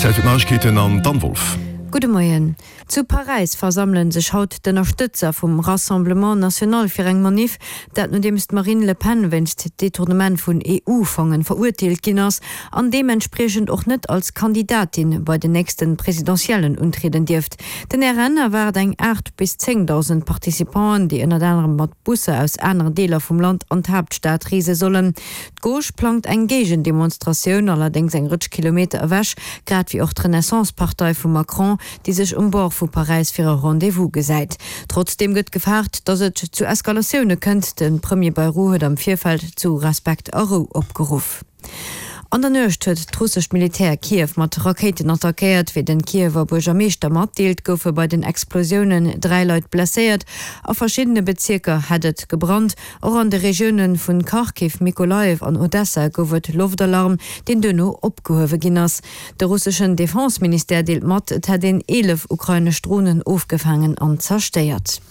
Zäit fir d'Neiegkeeten an d'Anne Wolff. Gudde Moien. Zu Paräis versammele sech haut d'Ënnerstëtzer vum Rassemblement National fir eng Maniff. Dat nodeems d'Marine Le Pen wéinst Detournement vun EU-Fongen verurteelt ginn ass an deementspriechend och net als Kandidatin bei den nächste Presidentiellen untrieden dierft. Den RN erwaart eng 8 bis 10.000 Participanten, déi ënnert anerem mat Busser aus aneren Deeler vum Land an d'Haaptstad reese sollen. D'Gauche plangt eng Géigendemonstratioun, allerdéngs eng Rëtsch Kilometer ewech, grad wéi och d'Renaissance-Partei vum Macron, déi sech um Bord vu Paräis fir e Rendez-vous gesäit. Trotzdeem gëtt gefaart, datt et zu Eskalatioune kënnt. De Premier Bayrou huet am Virfeld zu Respekt a Rou opgeruff. An der Nuecht huet d'russescht Militär Kiew mat Rakéiten attackéiert. Wéi den Kiewer Buergermeeschter matdeelt, goufe bei den Explosiounen 3 Leit blesséiert. A verschiddene Bezierker hätt et gebrannt. Och an de Regioune vun Kharkiv, Mykolajiw an Odessa gouf et Loftalarm, deen duerno opgehuewe ginn ass. De russeschen Defense-Ministère deelt mat, et hätt een 11 ukrainesch Dronen ofgefaangen an zerstéiert.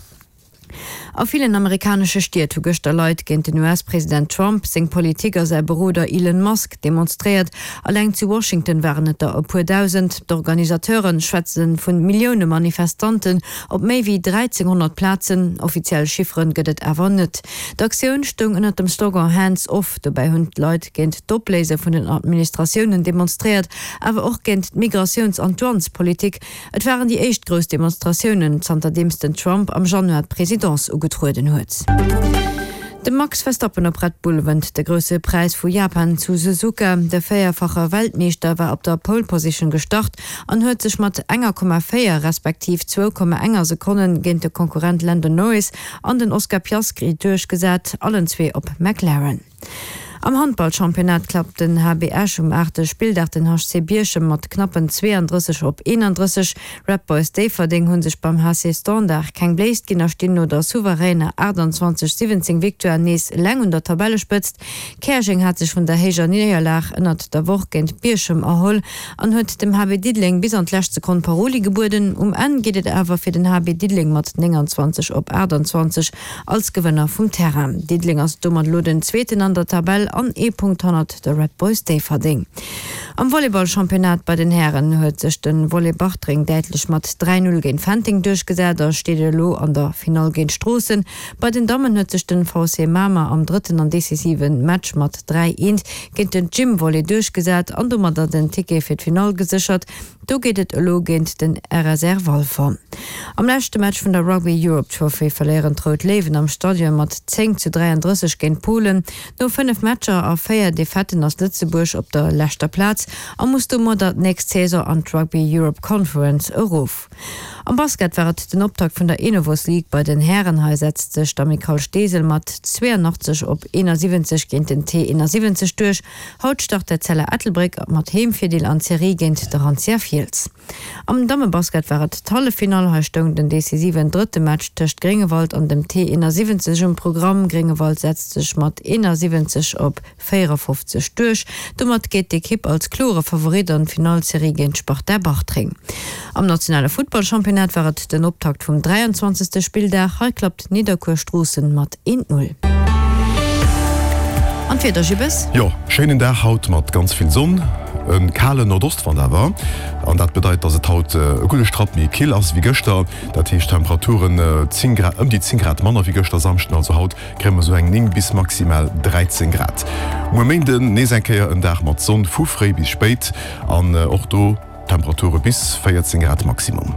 A villen amerikanesche Stied hu gëschter Leit géint den US-President Trump, seng Politik a säi Beroder Elon Musk demonstréiert. Alleng zu Washington waren et der e puer Dausend. D'Organisateure schwätze vu Millioune Manifestanten op méi wéi 1.300 Plazen. Offiziell Chiffere gëtt et awer net. D'Aktioun stoung ënnert dem Slogan Hands off. Dobäi hunn d'Leit géint d'Opléise vun den Administratiounen demonstréiert, awer och géint d'Migratiouns an d'Douanespolitik. Et waren déi éischt grouss Demonstratiounen, zanterdeems den Trump am Januar d'Presidence ugetrueden huet. De Max Verstappen op Red Bull wënnt de Grousse Präis vu Japan zu Suzuka. De véierfache Weltmeeschter war op der Pole Position gestart an huet sech mat enger Komma 4 respektiv zwou Komma enger Sekonne géint de Konkurrent Lando Norris an den Oscar Piastri duerchgesat, allen zwee op McLaren. Am Handballchampionnat klappt den HB Esch um aachte Spilldag den HC Bierchem mat knappen 32 op 31. Red Boys Déifferdeng hu sech beim HC Standard keng Bléisst ginn a stinn no der souveräner 28, 17 Victoire nees eleng un der Tabellespëtzt. Käerjeng hat sech vun der héijer Néierlag ënnert der Woch géint Bierchem erholl an huet dem HB Diddeleng bis an d'lescht Sekonn Paroli gebueden. Um Enn geet et awer fir den HB Diddeleng mat 29 op 28 Als Gewënner vum Terrain. Diddeleng ass domat elo den Zweeten an der Tabell an ee Punkt hannert de Red Boys Déifferdeng. Am Volleyball-Championnat bei den Hären huet sech de Volley Bartreng däitlech mat 3, 0 géint Fenteng duerchgesat a steet elo an der Finall géint Stroossen. Bei den Dammen huet sech den VC Mamer am drëtten an decisive Match mat 3, 1 géint den Gym Volley duerchgesat an domadder den Ticket fir d'Finall geséchert. Do geet et elo géint den RSR Walfer. Am leschte Match vun der Rugby Europe Trophy verléieren d'Rout Léiwen am Stadion mat 10 zu 33 géint Polen. No 5 Matcher a 4 Defaiten ass Lëtzebuerg op der leschter Plaz a muss domadder d'nächst Saison an d'Rugby Europe Conference erof. Am Basket war et den Optakt vun der Enovos League bei den Hären. Hei setzt sech d'Amicale Steesel mat 82 op 71 géint den T71 duerch. Haut start d'Etzella Ettelbréck mat Heemvirdeel an d'Serie géint de Rantia Fiels. Am Dammebasket war et d'Halleffinall. Hei stoung den decisiven drëtte Match tëscht Gréngewald an dem T71 um Programm. Gréngewald setzt sech mat 71 op 54 duerch. Domat geet d'Ekipp als klore Favorit an d'Finallserie géint d'Sparta Bartreng. Am nationale Futtballchampionnat war et den Optakt vum 23. Spilldag. Hei klappt Nidderkuer Stroossen mat 1, 0. An d'Wieder, Jibbes? Jo, schéinen Dag haut mat ganz vill Sonn, e kalen Nordostwand awer. An dat bedeit, dass et haut e gudde Strapp méi kill ass wéi gëschter. Dat heescht Temperaturen 10 Grad, ëm déi 10 Grad manner wéi gëschter Samschden. Also haut kréie mer esou eng 9 bis maximal 13 Grad. Muer Méinden nees eng Kéier en Dag mat Sonn vu fréi bis spéit an och do Temperature bis 14 Grad Maximum.